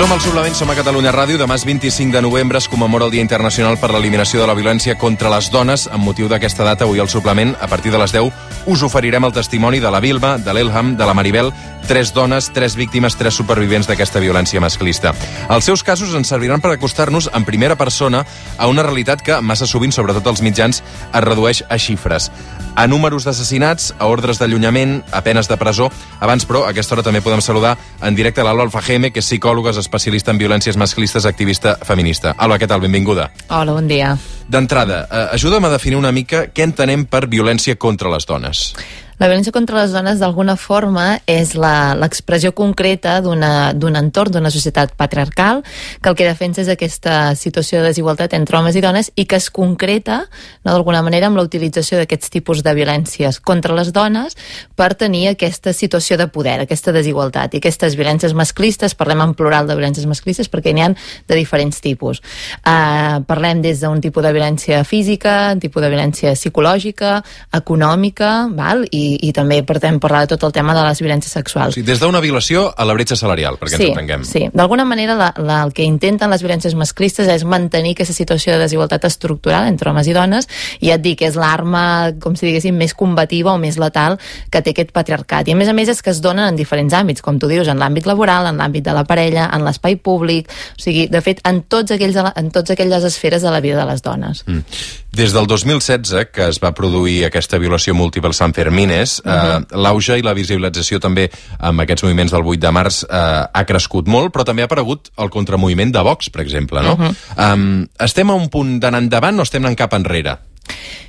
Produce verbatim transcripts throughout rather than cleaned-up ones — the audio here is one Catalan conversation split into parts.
Som al Suplement, som a Catalunya Ràdio. Demà és vint-i-cinc de novembre, es commemora el Dia Internacional per l'Eliminació de la Violència contra les Dones. Amb motiu d'aquesta data, avui al Suplement, a partir de les deu, us oferirem el testimoni de la Vilma, de l'Elham, de la Maribel, tres dones, tres víctimes, tres supervivents d'aquesta violència masclista. Els seus casos ens serviran per acostar-nos en primera persona a una realitat que, massa sovint, sobretot als mitjans, es redueix a xifres. A números d'assassinats, a ordres d'allunyament, a penes de presó. Abans, però, a aquesta hora també podem saludar en directe l'Alba Alfajeme, que és psicòloga, especialista en violències masclistes, activista feminista. Alba, què tal? Benvinguda. Hola, bon dia. D'entrada, eh, ajuda'm a definir una mica què entenem per violència contra les dones. La violència contra les dones, d'alguna forma, és l'expressió concreta d'un entorn, d'una societat patriarcal, que el que defensa és aquesta situació de desigualtat entre homes i dones i que es concreta, no, d'alguna manera, amb la utilització d'aquests tipus de violències contra les dones per tenir aquesta situació de poder, aquesta desigualtat. I aquestes violències masclistes, parlem en plural de violències masclistes perquè n'hi ha de diferents tipus. Uh, parlem des d'un tipus de violència física, un tipus de violència psicològica, econòmica, val? I i també podem parlar de tot el tema de les violències sexuals. Sí, des d'una violació a la bretxa salarial, perquè sí, ens entenguem. Sí, d'alguna manera la, la, el que intenten les violències masclistes és mantenir aquesta situació de desigualtat estructural entre homes i dones, i ja et dic, és l'arma, com si diguéssim, més combativa o més letal que té aquest patriarcat. I a més a més és que es donen en diferents àmbits, com tu dius, en l'àmbit laboral, en l'àmbit de la parella, en l'espai públic, o sigui, de fet, en tots aquells, en tots aquelles esferes de la vida de les dones. Mm. Des del dos mil setze, que es va produir aquesta violació múltiple Sant Fermines, Uh -huh. eh, l'auge i la visibilització també amb aquests moviments del vuit de març eh, ha crescut molt, però també ha aparegut el contramoviment de Vox, per exemple, no? Uh -huh. um, estem a un punt d'anar endavant o estem anant cap enrere?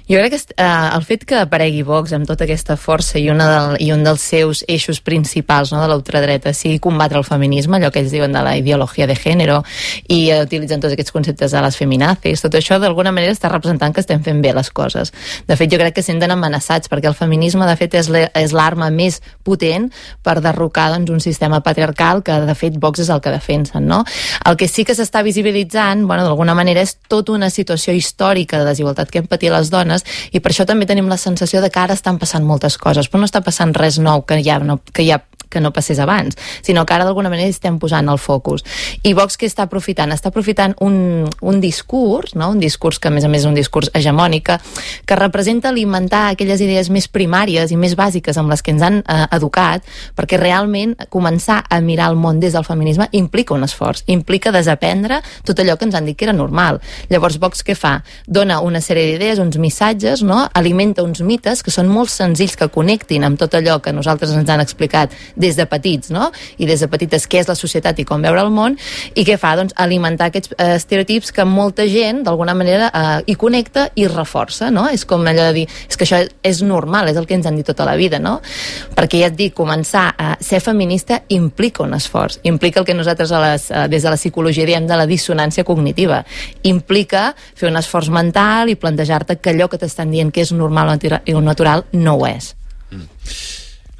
Jo crec que eh, el fet que aparegui Vox amb tota aquesta força i, una del, i un dels seus eixos principals, no, de l'ultradreta sigui combatre el feminisme, allò que ells diuen de la ideologia de gènere, i eh, utilitzen tots aquests conceptes de les feminazis, tot això d'alguna manera està representant que estem fent bé les coses. De fet, jo crec que senten amenaçats perquè el feminisme, de fet, és l'arma més potent per derrocar, doncs, un sistema patriarcal que, de fet, Vox és el que defensen, no? El que sí que s'està visibilitzant, bueno, d'alguna manera, és tota una situació històrica de desigualtat que hem patit les dones, i per això també tenim la sensació de que ara estan passant moltes coses, però no està passant res nou que ja no, que ja que no passés abans, sinó que ara d'alguna manera estem posant el focus. I Vox què està aprofitant? Està aprofitant un, un discurs, no? Un discurs que a més a més és un discurs hegemònic, que, que representa alimentar aquelles idees més primàries i més bàsiques amb les que ens han eh, educat, perquè realment començar a mirar el món des del feminisme implica un esforç, implica desaprendre tot allò que ens han dit que era normal. Llavors Vox què fa? Dona una sèrie d'idees, uns missatges, no? Alimenta uns mites que són molt senzills, que connectin amb tot allò que nosaltres ens han explicat des de petits, no? I des de petites què és la societat i com veure el món, i què fa? Doncs alimentar aquests eh, estereotips que molta gent d'alguna manera eh, hi connecta i reforça, no? És com allò de dir, és que això és normal, és el que ens han dit tota la vida, no? Perquè ja et dic, començar a ser feminista implica un esforç, implica el que nosaltres a les, eh, des de la psicologia diem de la dissonància cognitiva, implica fer un esforç mental i plantejar-te que allò que t'estan dient que és normal o natural no ho és. Mm.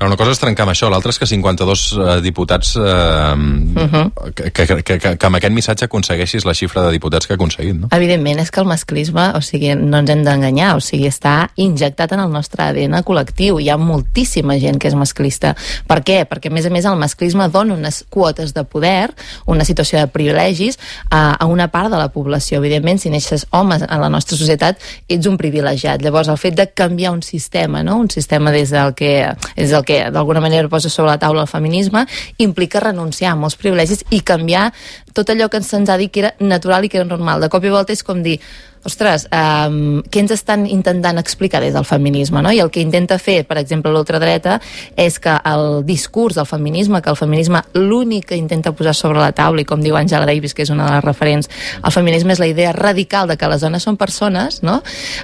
Una cosa és trencar amb això, l'altra és que cinquanta-dos eh, diputats, eh, uh-huh. que, que, que, que, que amb aquest missatge aconsegueixis la xifra de diputats que ha aconseguit, no? Evidentment, és que el masclisme, o sigui, no ens hem d'enganyar, o sigui, està injectat en el nostre A D N col·lectiu. Hi ha moltíssima gent que és masclista. Per què? Perquè, a més a més, el masclisme dona unes quotes de poder, una situació de privilegis a, a una part de la població. Evidentment, si neixes homes en la nostra societat, ets un privilegiat. Llavors, el fet de canviar un sistema, no? Un sistema des del que, des del que que d'alguna manera posa sobre la taula el feminisme, implica renunciar a molts privilegis i canviar tot allò que se'ns ha dit que era natural i que era normal. De cop i volta és com dir, ostres, um, què ens estan intentant explicar des del feminisme, no? I el que intenta fer, per exemple, l'ultradreta, és que el discurs del feminisme, que el feminisme l'únic que intenta posar sobre la taula, i com diu Angela Davis, que és una de les referents, el feminisme és la idea radical de que les dones són persones, no?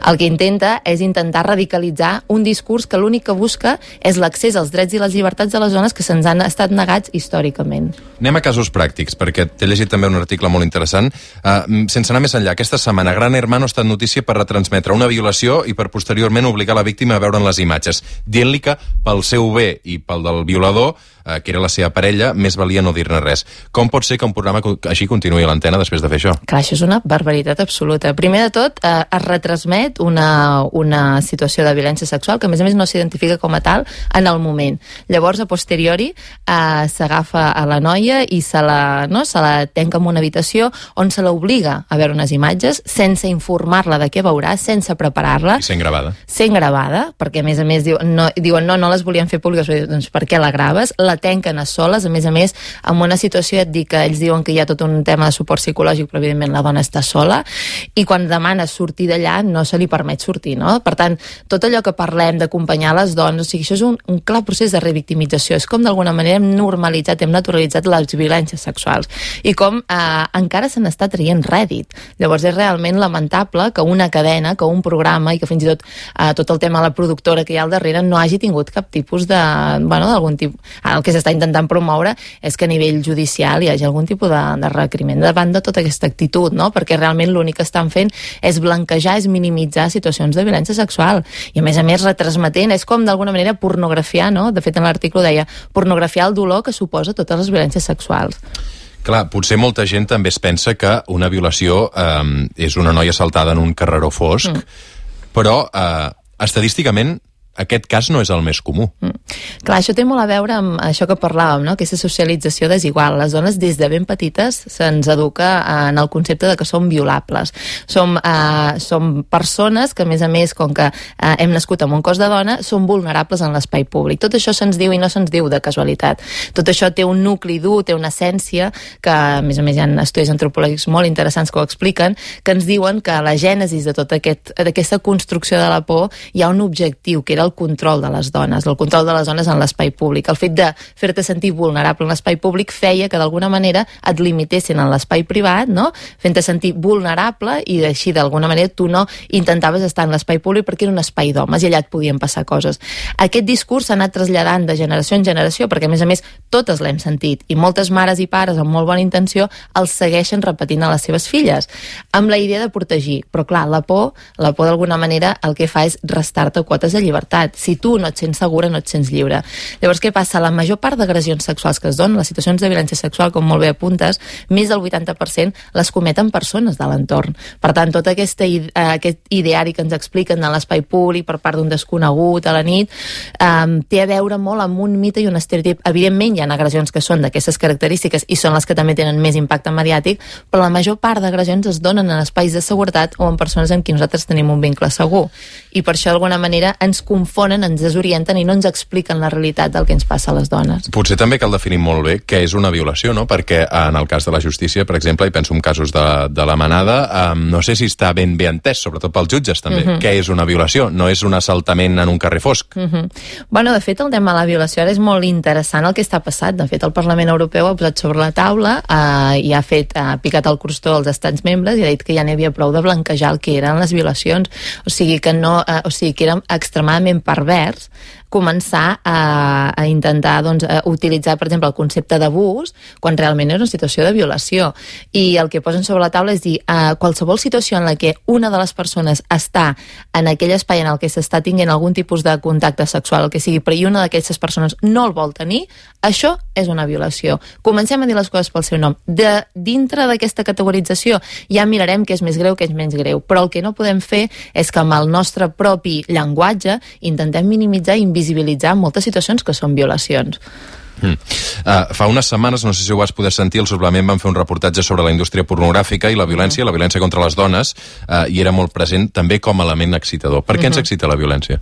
El que intenta és intentar radicalitzar un discurs que l'únic que busca és l'accés als drets i les llibertats de les dones que se'ns han estat negats històricament. Anem a casos pràctics, perquè t'he llegit també un article molt interessant. Uh, sense anar més enllà, aquesta setmana, Gran Hermano ha estat notícia per retransmetre una violació i per posteriorment obligar la víctima a veure'n les imatges, dient-li que pel seu bé i pel del violador eh, que era la seva parella, més valia no dir-ne res. Com pot ser que un programa així continuï a l'antena després de fer això? Clar, això és una barbaritat absoluta. Primer de tot, eh, es retransmet una, una situació de violència sexual que, a més a més, no s'identifica com a tal en el moment. Llavors, a posteriori, eh, s'agafa a la noia i se la, no, se la tanca en una habitació on se l'obliga a veure unes imatges sense informar-la de què veurà, sense preparar-la. I sent gravada. Sent gravada, perquè, a més a més, diuen no, diuen, no, no les volien fer públiques. Doncs per què la graves? La tanquen a soles, a més a més, en una situació, et dic que ells diuen que hi ha tot un tema de suport psicològic, però evidentment la dona està sola, i quan demana sortir d'allà no se li permet sortir, no? Per tant, tot allò que parlem d'acompanyar les dones, o sigui, això és un, un clar procés de revictimització, és com d'alguna manera hem normalitzat, hem naturalitzat les violències sexuals, i com eh, encara se n'està traient rèdit. Llavors és realment lamentable que una cadena, que un programa, i que fins i tot eh, tot el tema de la productora que hi ha al darrere no hagi tingut cap tipus de, bueno, d'algun tipus, el que s'està intentant promoure és que a nivell judicial hi hagi algun tipus de, de requeriment davant de tota aquesta actitud, no? Perquè realment l'únic que estan fent és blanquejar, és minimitzar situacions de violència sexual, i a més a més retransmetent, és com d'alguna manera pornografiar, no? De fet, en l'article deia pornografiar el dolor que suposa totes les violències sexuals. Clar, potser molta gent també es pensa que una violació eh, és una noia assaltada en un carreró fosc, mm. però eh, estadísticament aquest cas no és el més comú. Mm. Clar, això té molt a veure amb això que parlàvem, no? Aquesta socialització desigual. Les dones des de ben petites se'ns educa en el concepte de que som violables. Som, eh, som persones que, a més a més, com que eh, hem nascut amb un cos de dona, som vulnerables en l'espai públic. Tot això se'ns diu i no se'ns diu de casualitat. Tot això té un nucli dur, té una essència, que, a més a més, hi ha estudis antropològics molt interessants que ho expliquen, que ens diuen que a la gènesis de tota aquest, aquesta construcció de la por hi ha un objectiu, que era el control de les dones, el control de les dones en l'espai públic. El fet de fer-te sentir vulnerable en l'espai públic feia que d'alguna manera et limitessin en l'espai privat, no? Fent-te sentir vulnerable, i així d'alguna manera tu no intentaves estar en l'espai públic perquè era un espai d'homes i allà et podien passar coses. Aquest discurs s'ha anat traslladant de generació en generació, perquè a més a més totes l'hem sentit, i moltes mares i pares amb molt bona intenció els segueixen repetint a les seves filles, amb la idea de protegir. Però clar, la por, la por d'alguna manera el que fa és restar-te quotes de llibertat. Si tu no et sents segura, no et sents lliure. Llavors, què passa? La major part d'agressions sexuals que es donen, les situacions de violència sexual, com molt bé apuntes, més del vuitanta per cent les cometen persones de l'entorn. Per tant, tot aquesta, uh, aquest ideari que ens expliquen de l'espai públic per part d'un desconegut a la nit, um, té a veure molt amb un mite i un estereotip. Evidentment, hi ha agressions que són d'aquestes característiques i són les que també tenen més impacte mediàtic, però la major part d'agressions es donen en espais de seguretat o en persones amb qui nosaltres tenim un vincle segur. I per això, d'alguna manera, ens confonen, ens desorienten i no ens expliquen la realitat del que ens passa a les dones. Potser també cal definir molt bé què és una violació, no? Perquè en el cas de la justícia, per exemple, i penso en casos de, de la manada, um, no sé si està ben bé entès, sobretot pels jutges també, uh-huh. què és una violació. No és un assaltament en un carrer fosc. Uh-huh. Bueno, de fet, el tema de la violació ara és molt interessant el que està passant. De fet, el Parlament Europeu ha posat sobre la taula uh, i ha fet, ha picat el crostó als estats membres i ha dit que ja n'hi havia prou de blanquejar el que eren les violacions. O sigui que no, uh, o sigui que era extremadament pervers començar a, a intentar doncs, a utilitzar, per exemple, el concepte d'abús quan realment és una situació de violació. I el que posen sobre la taula és dir uh, qualsevol situació en la que una de les persones està en aquell espai en el que s'està tinguent algun tipus de contacte sexual, el que sigui, però i una d'aquestes persones no el vol tenir, això és una violació. Comencem a dir les coses pel seu nom. De, dintre d'aquesta categorització ja mirarem què és més greu, què és menys greu, però el que no podem fer és que amb el nostre propi llenguatge intentem minimitzar i invisibilitzar moltes situacions que són violacions. Mm. Uh, fa unes setmanes, no sé si ho vas poder sentir, al suplement van fer un reportatge sobre la indústria pornogràfica i la violència, mm. la violència contra les dones, uh, i era molt present també com a element excitador. Per què mm-hmm. ens excita la violència?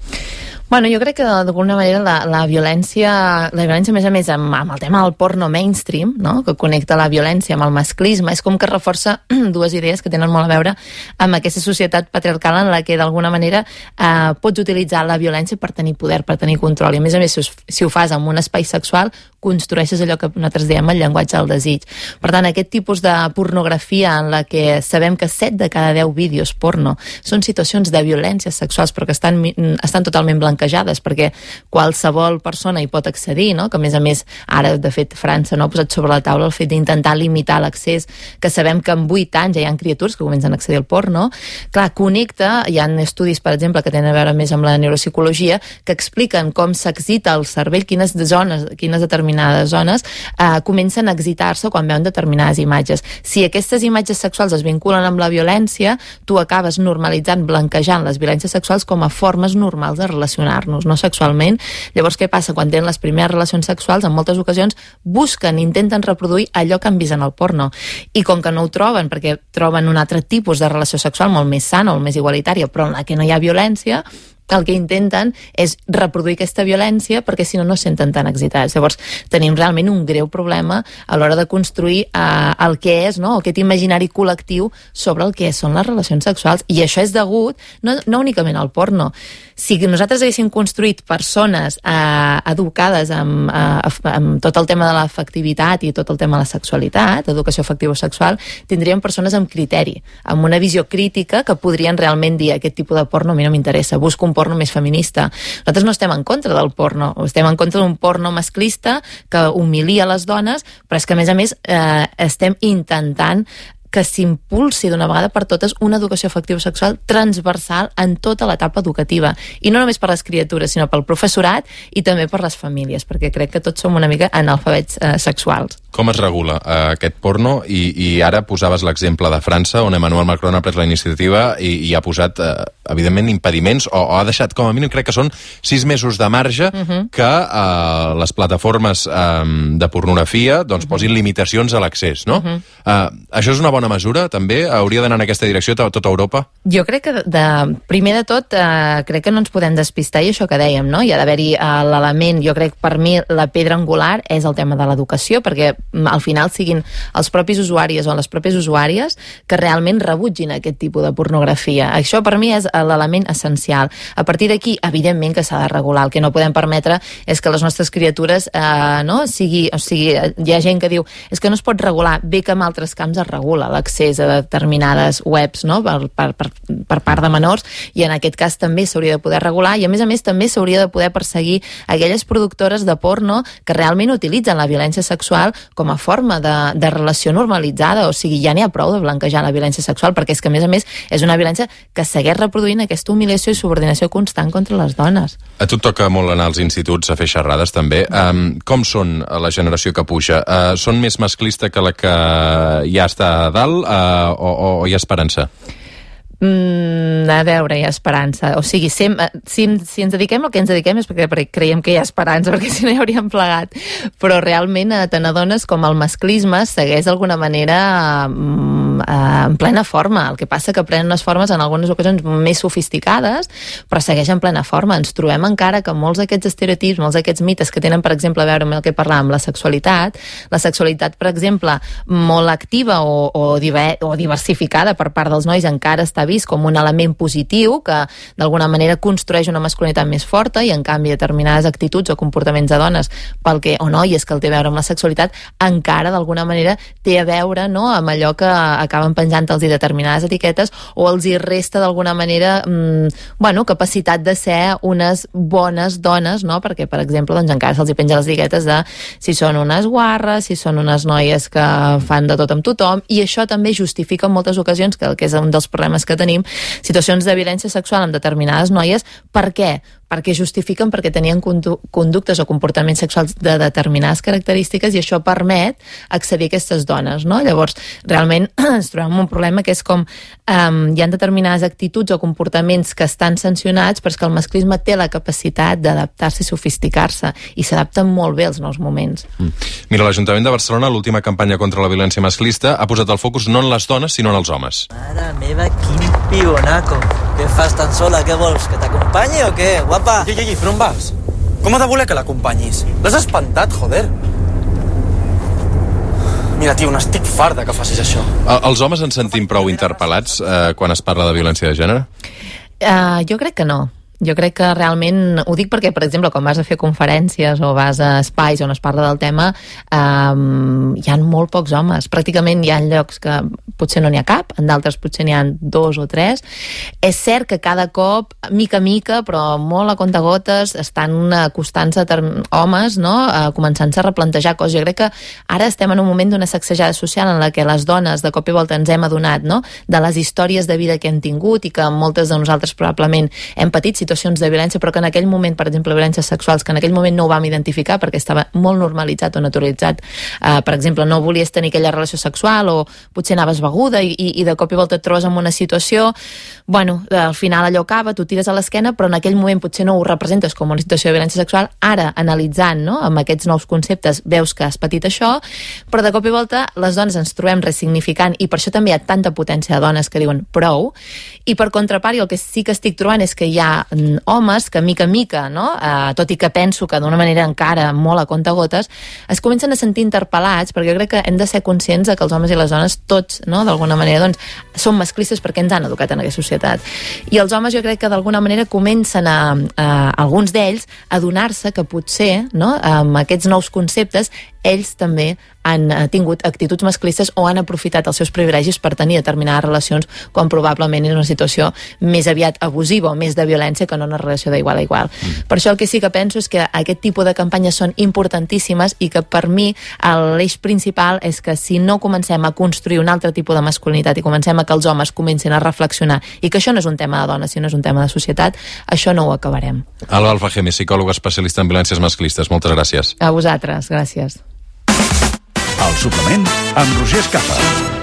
Bueno, jo crec que d'alguna manera la, la violència, la violència a més a més amb, amb el tema del porno mainstream, no? Que connecta la violència amb el masclisme, és com que reforça dues idees que tenen molt a veure amb aquesta societat patriarcal en la que d'alguna manera eh, pots utilitzar la violència per tenir poder, per tenir control, i a més a més si, si ho fas en un espai sexual construeixes allò que nosaltres diem el llenguatge del desig. Per tant, aquest tipus de pornografia en la que sabem que set de cada deu vídeos porno són situacions de violències sexuals però que estan, estan totalment blanquejades perquè qualsevol persona hi pot accedir, no? Que a més a més ara de fet França no ha posat sobre la taula el fet d'intentar limitar l'accés, que sabem que en vuit anys ja hi ha criatures que comencen a accedir al porno. Clar, connecta, hi ha estudis per exemple que tenen a veure més amb la neuropsicologia que expliquen com s'excita el cervell, quines zones, quines determinades determinades zones, eh, comencen a excitar-se quan veuen determinades imatges. Si aquestes imatges sexuals es vinculen amb la violència, tu acabes normalitzant, blanquejant les violències sexuals com a formes normals de relacionar-nos, no sexualment. Llavors, què passa? Quan tenen les primeres relacions sexuals, en moltes ocasions busquen, intenten reproduir allò que han vist en el porno. I com que no ho troben, perquè troben un altre tipus de relació sexual molt més sana, molt més igualitària, però en la que no hi ha violència, el que intenten és reproduir aquesta violència perquè si no no es senten tan excitats. Llavors tenim realment un greu problema a l'hora de construir eh, el que és, no? Aquest imaginari col·lectiu sobre el que són les relacions sexuals, i això és degut no, no únicament al porno. Si nosaltres haguéssim construït persones eh, educades amb, eh, amb tot el tema de l'afectivitat i tot el tema de la sexualitat, educació afectivo-sexual, tindríem persones amb criteri, amb una visió crítica que podrien realment dir aquest tipus de porno a mi no m'interessa, busco un porno més feminista. Nosaltres no estem en contra del porno, estem en contra d'un porno masclista que humilia les dones, però és que a més a més eh, estem intentant que s'impulsi d'una vegada per totes una educació afectivo-sexual transversal en tota l'etapa educativa. I no només per les criatures, sinó pel professorat i també per les famílies, perquè crec que tots som una mica analfabets eh, sexuals. Com es regula eh, aquest porno? I, I ara posaves l'exemple de França, on Emmanuel Macron ha pres la iniciativa i, i ha posat, eh, evidentment, impediments, o, o ha deixat, com a mínim, crec que són sis mesos de marge uh -huh. que eh, les plataformes eh, de pornografia doncs, uh -huh. posin limitacions a l'accés, no? Uh -huh. eh, això és una bona mesura, també? Hauria d'anar en aquesta direcció a tota Europa? Jo crec que, de, primer de tot, eh, crec que no ens podem despistar, i això que dèiem, no? Hi ha d'haver-hi eh, l'element, jo crec, per mi, la pedra angular és el tema de l'educació, perquè al final siguin els propis usuaris o les pròpies usuàries que realment rebutgin aquest tipus de pornografia. Això per mi és l'element essencial. A partir d'aquí, evidentment que s'ha de regular. El que no podem permetre és que les nostres criatures eh, no, sigui, o sigui, hi ha gent que diu és que no es pot regular, bé que en altres camps es regula l'accés a determinades webs, no? per, per, per, per part de menors, i en aquest cas també s'hauria de poder regular, i a més a més també s'hauria de poder perseguir aquelles productores de porno que realment utilitzen la violència sexual com a forma de, de relació normalitzada. O sigui, ja n'hi ha prou de blanquejar la violència sexual, perquè és que a més a més és una violència que segueix reproduint aquesta humiliació i subordinació constant contra les dones. A tu et toca molt anar als instituts a fer xerrades també. Um, com són la generació que puja? Uh, són més masclista que la que ja està a dalt uh, o, o hi ha esperança? Mm, a veure, hi ha esperança. O sigui, sem, si, si ens dediquem al que ens dediquem és perquè, perquè creiem que hi ha esperança, perquè si no hi hauríem plegat. Però realment te n'adones com el masclisme segueix d'alguna manera mm, en plena forma. El que passa que prenen unes formes en algunes ocasions més sofisticades, però segueix en plena forma. Ens trobem encara que molts d'aquests estereotips, molts d'aquests mites que tenen, per exemple, a veure amb el que parlàvem, la sexualitat, la sexualitat, per exemple, molt activa o, o, diver, o diversificada per part dels nois encara està vist com un element positiu que d'alguna manera construeix una masculinitat més forta, i en canvi determinades actituds o comportaments de dones pel que, o noies que el té a veure amb la sexualitat encara d'alguna manera té a veure, no, amb allò que acaben penjant-los i determinades etiquetes, o els hi resta d'alguna manera mmm, bueno, capacitat de ser unes bones dones, no? Perquè, per exemple, doncs encara se'ls hi penja les etiquetes de si són unes guarres, si són unes noies que fan de tot amb tothom, i això també justifica en moltes ocasions, que, que és un dels problemes que tenim, situacions de violència sexual amb determinades noies. Per què? Perquè justifiquen perquè tenien conductes o comportaments sexuals de determinades característiques, i això permet accedir a aquestes dones, no? Llavors, realment ens trobem amb un problema que és com um, hi ha determinades actituds o comportaments que estan sancionats, però és que el masclisme té la capacitat d'adaptar-se i sofisticar-se, i s'adapten molt bé als nous moments. Mm. Mira, l'Ajuntament de Barcelona, l'última campanya contra la violència masclista, ha posat el focus no en les dones, sinó en els homes. Mare meva, quin pibonaco. Què fas tan sola? Què vols? Que t'acompanyi o què? Guapa! Ei, ei, ei, per on vas? Com ha de voler que l'acompanyis? L'has espantat, joder. Mira, tio, n'estic farta que facis això. Els homes ens sentim prou interpel·lats eh, quan es parla de violència de gènere? Uh, jo crec que no. Jo crec que realment, ho dic perquè, per exemple, quan vas a fer conferències o vas a espais on es parla del tema, um, hi ha molt pocs homes. Pràcticament hi ha llocs que potser no n'hi ha cap, en d'altres potser n'hi ha dos o tres. És cert que cada cop, mica a mica, però molt a comptagotes, estan acostant-se homes, no?, uh, començant-se a replantejar coses. Jo crec que ara estem en un moment d'una sacsejada social en la que les dones de cop i volta ens hem adonat, no?, de les històries de vida que hem tingut, i que moltes de nosaltres probablement hem patit situacions situacions de violència, però que en aquell moment, per exemple, violències sexuals, que en aquell moment no ho vam identificar perquè estava molt normalitzat o naturalitzat. Uh, per exemple, no volies tenir aquella relació sexual o potser anaves beguda i, i, i de cop i volta et trobes en una situació, bueno, al final allò acaba, tu tires a l'esquena, però en aquell moment potser no ho representes com una situació de violència sexual. Ara, analitzant, no?, amb aquests nous conceptes, veus que has patit això, però de cop i volta les dones ens trobem ressignificant, i per això també hi ha tanta potència de dones que diuen prou, i per contrapart, el que sí que estic trobant és que hi ha mm, homes que mica en mica, no?, eh, tot i que penso que d'una manera encara molt a comptagotes, es comencen a sentir interpel·lats, perquè jo crec que hem de ser conscients de que els homes i les dones tots, no?, d'alguna manera, doncs, són masclistes perquè ens han educat en aquesta societat. I els homes jo crec que d'alguna manera comencen a, a alguns d'ells a donar-se que potser, no?, amb aquests nous conceptes, ells també han tingut actituds masclistes o han aprofitat els seus privilegis per tenir determinades relacions quan probablement és una situació més aviat abusiva o més de violència que no una relació d'igual a igual. Mm. Per això el que sí que penso és que aquest tipus de campanyes són importantíssimes i que per mi l'eix principal és que si no comencem a construir un altre tipus de masculinitat i comencem a que els homes comencin a reflexionar i que això no és un tema de dones, sinó és un tema de societat, això no ho acabarem. Alba Alfajeme, psicòloga especialista en violències masclistes. Moltes gràcies. A vosaltres, gràcies. El suplement amb Roger Escapa.